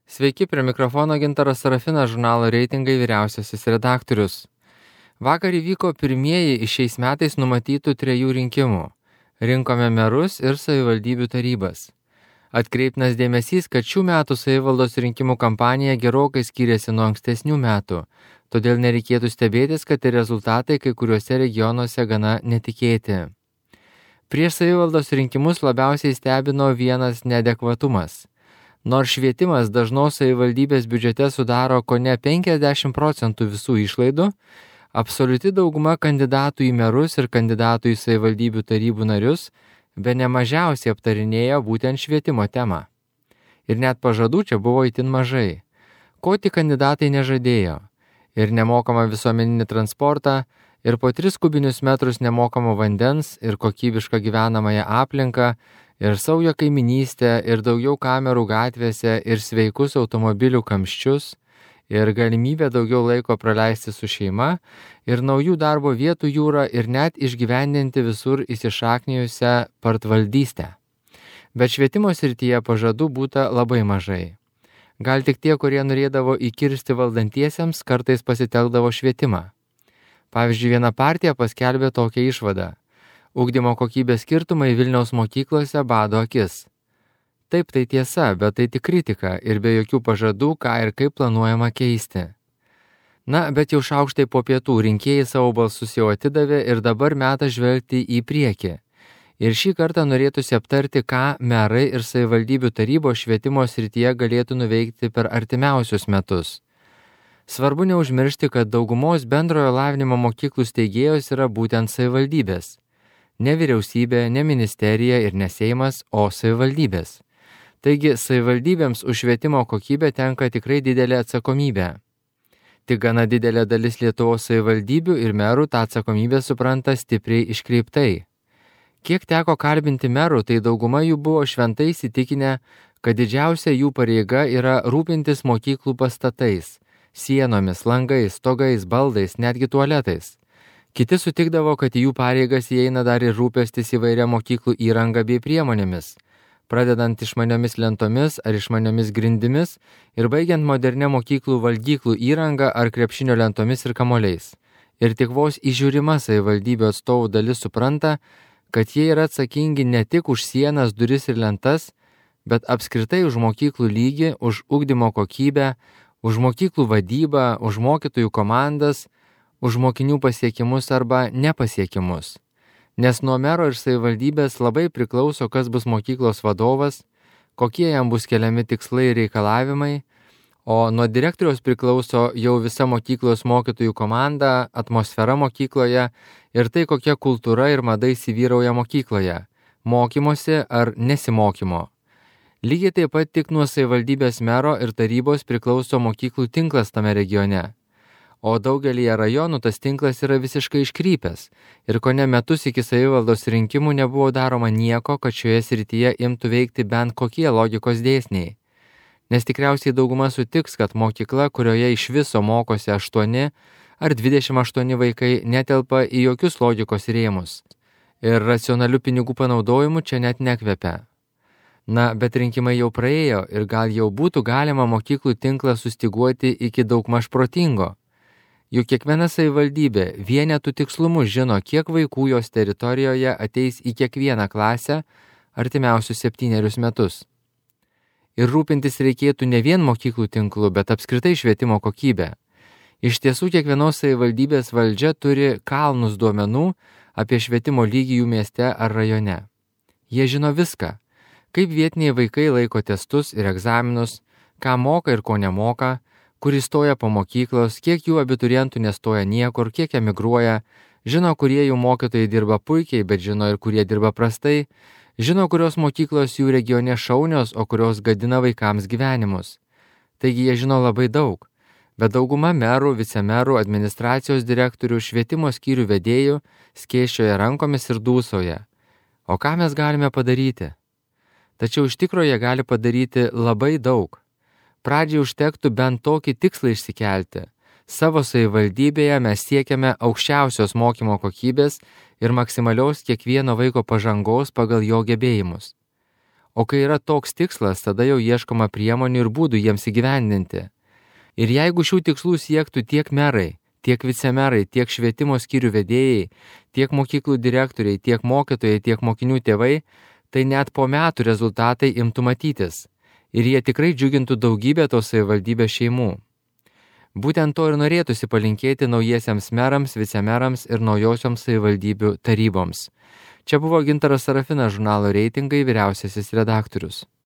Sveiki, prie mikrofono Gintaras Sarafinas, žurnalo Reitingai vyriausiasis redaktorius. Vakar įvyko pirmieji iš šiais metais numatytų 3 rinkimų. Rinkome merus ir savivaldybių tarybas. Atkreiptinas dėmesys, kad šių metų savivaldos rinkimų kampanija gerokai skiriasi nuo ankstesnių metų, todėl nereikėtų stebėtis, kad rezultatai kai kuriuose regionuose gana netikėti. Prieš savivaldos rinkimus labiausiai stebino vienas neadekvatumas. Nors švietimas dažnos savivaldybės biudžete sudaro kone 50% visų išlaidų, absoliuti dauguma kandidatų į merus ir kandidatų į savivaldybių tarybų narius bene mažiausiai aptarinėjo būtent švietimo temą. Ir net pažadų čia buvo itin mažai. Ko tik kandidatai nežadėjo. Ir nemokamą visuomeninį transportą, ir po 3 kubinius metrus nemokamo vandens, ir kokybišką gyvenamąją aplinką, ir saują kaiminystę, ir daugiau kamerų gatvėse, ir sveikus automobilių kamščius, ir galimybę daugiau laiko praleisti su šeima, ir naujų darbo vietų jūrą, ir net išgyvendinti visur įsišaknijusią partvaldystę. Bet švietimo srityje pažadų būta labai mažai. Gal tik tie, kurie norėdavo įkirsti valdantiesiems, kartais pasitelkdavo švietimą. Pavyzdžiui, viena partija paskelbė tokią išvadą. Ugdymo kokybės skirtumai Vilniaus mokyklose bado akis. Taip, tai tiesa, bet tai tik kritika ir be jokių pažadų, ką ir kaip planuojama keisti. Na, bet jau šaukštai po pietų rinkėjai savo balsus jau atidavė ir dabar metas žvelgti į priekį. Ir šį kartą norėtųsi aptarti, ką merai ir savivaldybių tarybos švietimo srityje galėtų nuveikti per artimiausius metus. Svarbu neužmiršti, kad daugumos bendrojo lavinimo mokyklų steigėjos yra būtent savivaldybės. Ne vyriausybė, ne ministerija ir ne Seimas, o savivaldybės. Taigi savivaldybėms už švietimo kokybę tenka tikrai didelė atsakomybė. Tik gana didelė dalis Lietuvos savivaldybių ir merų tą atsakomybę supranta stipriai iškreiptai. Kiek teko kalbinti merų, tai dauguma jų buvo šventai įsitikinę, kad didžiausia jų pareiga yra rūpintis mokyklų pastatais, sienomis, langais, stogais, baldais, netgi tualetais. Kiti sutikdavo, kad į jų pareigas įeina dar ir rūpestis įvairia mokyklų įranga bei priemonėmis, pradedant išmaniomis lentomis ar išmaniomis grindimis ir baigiant modernę mokyklų valgyklų įrangą ar krepšinio lentomis ir kamuoliais. Ir tik vos įžiūrima savivaldybių atstovų dalis supranta, kad jie yra atsakingi ne tik už sienas, duris ir lentas, bet apskritai už mokyklų lygį, už ugdymo kokybę, už mokyklų vadybą, už mokytojų komandas, už mokinių pasiekimus arba nepasiekimus. Nes nuo mero ir savivaldybės labai priklauso, kas bus mokyklos vadovas, kokie jam bus keliami tikslai ir reikalavimai, o nuo direktoriaus priklauso jau visa mokyklos mokytojų komanda, atmosfera mokykloje ir tai, kokia kultūra ir mada įsivyrauja mokykloje, mokymosi ar nesimokymo. Lygiai taip pat tik nuo savivaldybės mero ir tarybos priklauso mokyklų tinklas tame regione. O daugelyje rajonų tas tinklas yra visiškai iškrypęs ir kone metus iki savivaldos rinkimų nebuvo daroma nieko, kad šioje srityje imtų veikti bent kokie logikos dėsniai. Nes tikriausiai dauguma sutiks, kad mokykla, kurioje iš viso mokosi 8 ar 28 vaikai, netelpa į jokius logikos rėmus. Ir racionalių pinigų panaudojimu čia net nekvepia. Na, bet rinkimai jau praėjo ir gal jau būtų galima mokyklų tinklą sustiguoti iki daugmaž protingo. Juk kiekviena savivaldybė vienetų tikslumu žino, kiek vaikų jos teritorijoje ateis į kiekvieną klasę artimiausius 7 metus. Ir rūpintis reikėtų ne vien mokyklų tinklu, bet apskritai švietimo kokybę. Iš tiesų, kiekvienos savivaldybės valdžia turi kalnus duomenų apie švietimo lygį jų mieste ar rajone. Jie žino viską, kaip vietiniai vaikai laiko testus ir egzaminus, ką moka ir ko nemoka, kur įstoja po mokyklos, kiek jų abiturientų nestoja niekur, kiek emigruoja, žino, kurie jų mokytojai dirba puikiai, bet žino ir kurie dirba prastai, žino, kurios mokyklos jų regione šaunios, o kurios gadina vaikams gyvenimus. Taigi jie žino labai daug, bet dauguma merų, vicemerų, administracijos direktorių, švietimo skyrių vedėjų skėsčioja rankomis ir dūsauja. O ką mes galime padaryti? Tačiau iš tikrųjų jie gali padaryti labai daug. Pradžiai užtektų bent tokį tikslą išsikelti. Savo savivaldybėje mes siekiame aukščiausios mokymo kokybės ir maksimalios kiekvieno vaiko pažangos pagal jo gebėjimus. O kai yra toks tikslas, tada jau ieškoma priemonių ir būdų jiems įgyvendinti. Ir jeigu šių tikslų siektų tiek merai, tiek vicemerai, tiek švietimo skyrių vedėjai, tiek mokyklų direktoriai, tiek mokytojai, tiek mokinių tėvai, tai net po metų rezultatai imtų matytis. Ir jie tikrai džiugintų daugybę tos savivaldybės šeimų. Būtent to ir norėtųsi palinkėti naujiesiems merams, vicemerams ir naujosioms savivaldybių taryboms. Čia buvo Gintaras Sarafinas, žurnalo Reitingai vyriausiasis redaktorius.